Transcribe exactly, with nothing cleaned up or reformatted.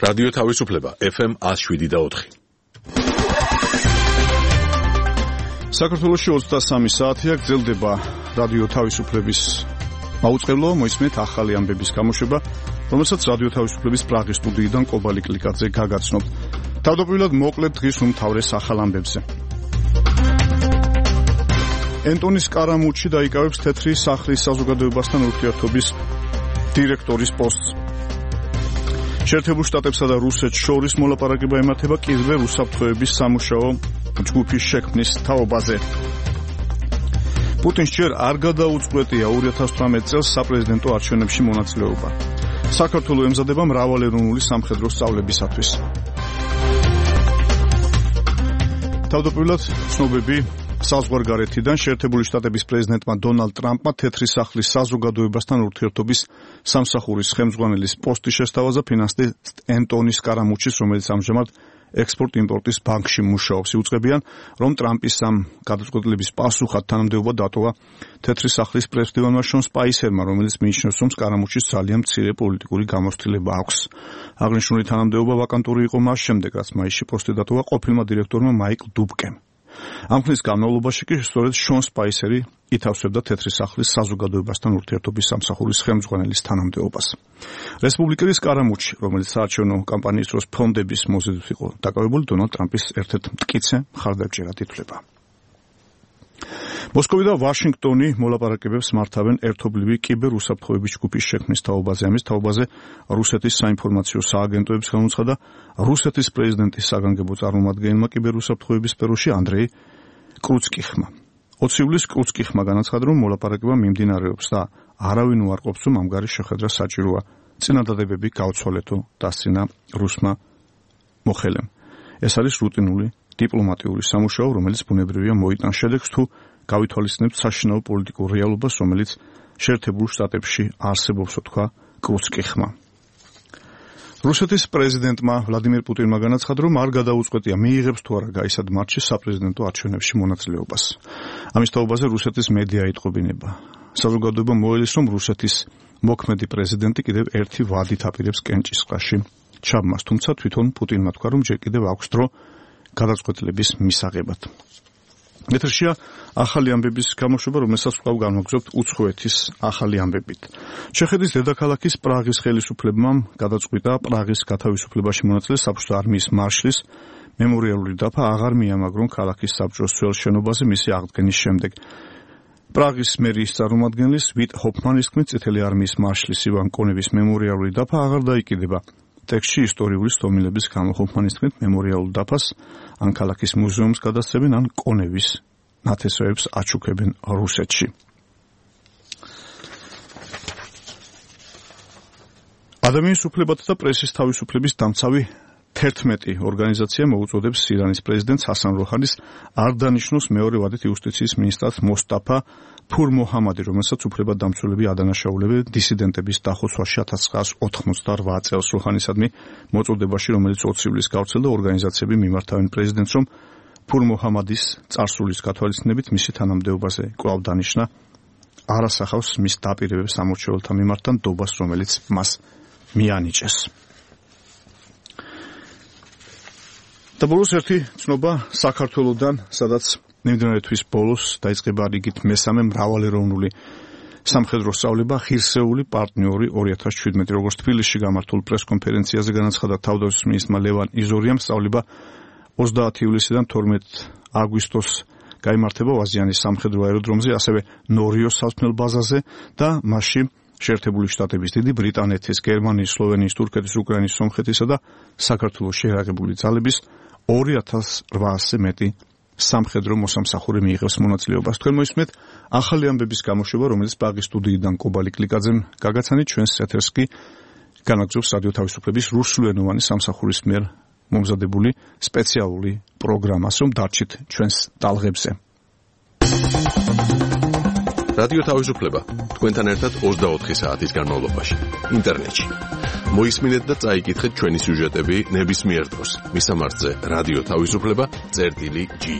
რადიო თავისუფლება ეფ ემ one oh seven და four. საქართველოში ოცდასამი საათია გრძელდება რადიო თავისუფლების მაუწყებლო მოისმენთ ახალი ამბების გამოშვება, რომელსაც რადიო თავისუფლების პრაღის სტუდიიდან კობალი კლიკაძე გაგაცნობ. თავდაპირველად მოკლედ დღის უმთავრეს ახალ ამბებზე. ენტონის კარამუჩი დაიკავებს თეთრი სახლის საზოგადოებასთან ურთიერთობის დირექტორის პოსტს. შეერთებულ შტატებსა და რუსეთს შორის მოლაპარაკება ემართება კიბერ უსაფრთხოების სამუშაო ჯგუფის შექმნის თაობაზე. პუტინს ჯერ არ გადაუწყვეტია two thousand eighteen წელს საპრეზიდენტო არჩევნებში მონაწილეობა. საქართველოს ემზადება მრავალეროვნული სამხედრო სწავლებისათვის. თავდაპირველად ცნობები საზღვარგარეთიდან შეერთებული შტატების პრეზიდენტმა დონალდ ტრამპმა თეთრი სახლის საზოგადოებასთან ურთიერთობის სამსახურის ხელმძღვანელის პოსტი შესთავაზა ფინანსისტ ენტონის კარამუჩის, რომელიც ამჟამად ექსპორტ-იმპორტის ბანკში მუშაობს. იუწყებიან, რომ ტრამპის ამ გადაწყვეტილების პასუხად თანამდებობა დატოვა თეთრი სახლის პრეს-მდივანმა შონ სპაისერმა, რომელიც მიიჩნევს, რომ კარამუჩის ძალიან მცირე პოლიტიკური გამოცდილება აქვს. აღნიშნული თანამდებობა ვაკანტური იყო მას შემდეგ, რაც მაისში პოსტი დატოვა ყოფილმა დირექტორმა მაიკლ დუბკემ. ამ ხნის განმავლობაში კი სწორედ შონ სპაისერი ითავსებდა თეთრი სახლის საზოგადოებასთან ურთიერთობის სამსახურის ხელმძღვანელის თანამდებობას. რესპუბლიკელის კარამუჩი, რომელიც საარჩევნო კამპანიის დროს ფონდების მოზიდვით იყო დაკავებული, დონალდ ტრამპის ერთ-ერთ მტკიცე მხარდაჭერად ითვლება. მოსკოვი და ვაშინგტონი მოლაპარაკებებს მართავენ ერთობლივი კიბერ უსაფრთხოების ჯგუფის შექმნის თაობაზე. ამის თაობაზე რუსეთის საინფორმაციო სააგენტოების განუცხადა რუსეთის პრეზიდენტის საგანგებო წარმომადგენელმა კიბერ უსაფრთხოების სფეროში ანდრეი კრუცკიხმა. ოცი ივლისს კრუცკიხმა განაცხადა, რომ მოლაპარაკება მიმდინარეობს და არავინ უარყოფს, რომ ამგვარი შეხვედრა საჭიროა. წინადადებები გაუცვალეთო დასცინა რუსმა მოხელემ. ეს არის რუტინული დიპლომატიური სამუშაო, რომელიც ბუნებრივია მოიტანს შედეგს, თუ გავითვალისწინებთ საშინაო პოლიტიკურ რეალობას, რომელიც შეერთებულ შტატებში არსებობს, თქვა კრუცკიხმა. რუსეთის პრეზიდენტმა ვლადიმირ პუტინმა განაცხადა, რომ არ გადაუწყვეტია მიიღებს თუ არა გაისად მარტში საპრეზიდენტო არჩევნებში მონაწილეობას. ამის თაობაზე რუსეთის მედია იტყობინება. საზოგადოება მოელის, რომ რუსეთის მოქმედი პრეზიდენტი კიდევ ერთი ვადით აპირებს კენჭისყრაში ჩაბმას, თუმცა თვითონ პუტინმა თქვა, რომ ჯერ კიდევ აქვს დრო გადაწყვეტილების მისაღებად. ეთერშია ახალი ამბების გამოშვება, რომელსაც ვყავ განვაგრძობთ უცხოეთის ახალი ამბებით. ჩეხეთის დედაქალაქის პრაღის ხელისუფლებმა გადაწყვიტა პრაღის გათავისუფლებაში მონაწილე საბჭოთა არმიის მარშლის მემორიალური დაფა აღარ მიამაგრონ ქალაქის საბჭოს ძველ შენობაზე მისი აღდგენის შემდეგ. პრაღის მერის წარმომადგენლის ვიტ ჰოფმანის თქმით, წითელი არმიის მარშლის ივან კონევის მემორიალური დაფა აღარ დაიკიდება. ტექსტში ისტორიული სტომილების გამო ჰოფმანის თქმით, მემორიალურ დაფას ან ქალაქის მუზეუმს გადასცემენ, ან კონევის ნათესავებს აჩუქებენ რუსეთში. ადამიანის უფლებათა და პრესის თავისუფლების დამცავი თერთმეტი ორგანიზაცია მოუწოდებს ირანის პრეზიდენტს ჰასან როჰანის არ დანიშნოს მეორე ვადით იუსტიციის მინისტრად მოსტაფა ფურ მოჰამადი, რომელსაც უფლებადამცველები ადანაშაულებენ დისიდენტების დახოცვაში one thousand nine hundred ninety-eight წელს. როჰანისადმი მოწოდებაში, რომელიც ოცი ივლისს გავრცელდა, ორგანიზაციები მიმართავენ პრეზიდენტს, რომ ფურ მოჰამადის წარსულის გათვალისწინებით მისი თანამდებობაზე კვლავ დანიშნა არ ასახავს მის დაპირებებს ამორჩეველთა მიმართ და ნდობას, რომელიც მას მიანიჭეს. და ბოლოს ერთი ცნობა საქართველოდან, სადაც მიმდინარე თვის ბოლოს დაიწყება რიგით მესამე მრავალეროვნული სამხედრო სწავლება ღირსეული პარტნიორი two thousand seventeen. როგორც თბილისში გამართულ პრესკონფერენციაზე განაცხადა თავდაცვის მინისტრმა ლევან იზორიამ, სწავლება ოცდაათი ივლისიდან თორმეტ აგვისტოს გაიმართება ვაზიანის სამხედრო აეროდრომზე, ასევე ნორიოს სასმელ ბაზაზე და მასში შეერთებული შტატების, დიდი ბრიტანეთის, გერმანიის, სლოვენიის, თურქეთის, უკრაინის, სომხეთისა და საქართველოს შეერაღებული ძალების two thousand eight hundred მეტი სამხედრო მოსამსახური მიიღებს მონაწილეობას. თქვენ მოისმენთ ახალი ამბების გამოშვება, რომელიც პრაღის სტუდიიდან კობალი კლიკაძემ გაგაცანით. ჩვენს ეთერს კი განაგრძობს რადიო თავისუფლების რუსულენოვანი სამსახურის მიერ მომზადებული სპეციალური პროგრამა, რომ დარჩით ჩვენს ტალღებზე. რადიო თავისუფლება თქვენთან ერთად ოცდაოთხი საათის განმავლობაში ინტერნეტში. მოისმინეთ და წაიკითხეთ ჩვენი სიუჟეტები ნებისმიერ დროს. მისამართზე რადიო თავისუფლება წერტილი ჯი.